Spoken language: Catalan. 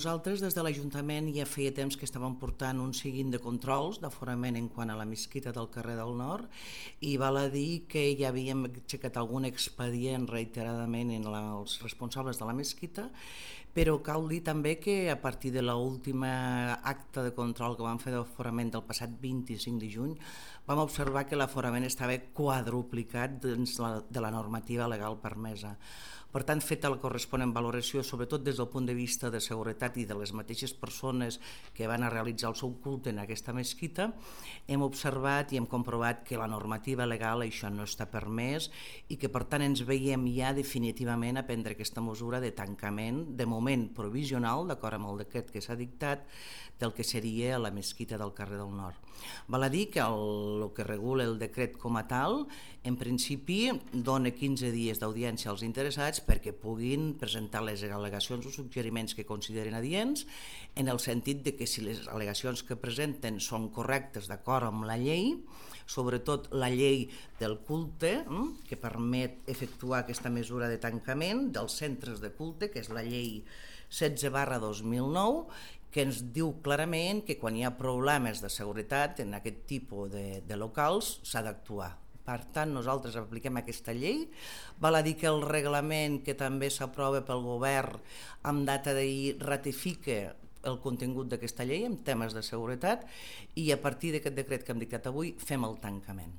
Nosaltres des de l'Ajuntament ja feia temps que estàvem portant un seguit de controls d'aforament en quant a la mesquita del carrer del Nord i val a dir que ja havíem aixecat algun expedient reiteradament en els responsables de la mesquita, però cal dir també que a partir de l'última acte de control que vam fer d'aforament del passat 25 de juny vam observar que l'aforament estava quadruplicat dins de la normativa legal permesa. Per tant, feta la corresponent valoració, sobretot des del punt de vista de seguretat i de les mateixes persones que van a realitzar el seu culte en aquesta mesquita, hem observat i hem comprovat que la normativa legal això no està permès i que per tant ens veiem ja definitivament a prendre aquesta mesura de tancament, de moment provisional, d'acord amb el decret que s'ha dictat, del que seria la mesquita del carrer del Nord. Val a dir que el que regula el decret com a tal, en principi dona 15 dies d'audiència als interessats perquè puguin presentar les al·legacions o suggeriments que consideren adients, en el sentit de que si les al·legacions que presenten són correctes d'acord amb la llei, sobretot la llei del culte, que permet efectuar aquesta mesura de tancament dels centres de culte, que és la llei 16/2009, que ens diu clarament que quan hi ha problemes de seguretat en aquest tipus de locals s'ha d'actuar. Per tant, nosaltres apliquem aquesta llei. Val a dir que el reglament que també s'aprova pel govern amb data d'ahir ratifica el contingut d'aquesta llei en temes de seguretat i a partir d'aquest decret que hem dictat avui fem el tancament.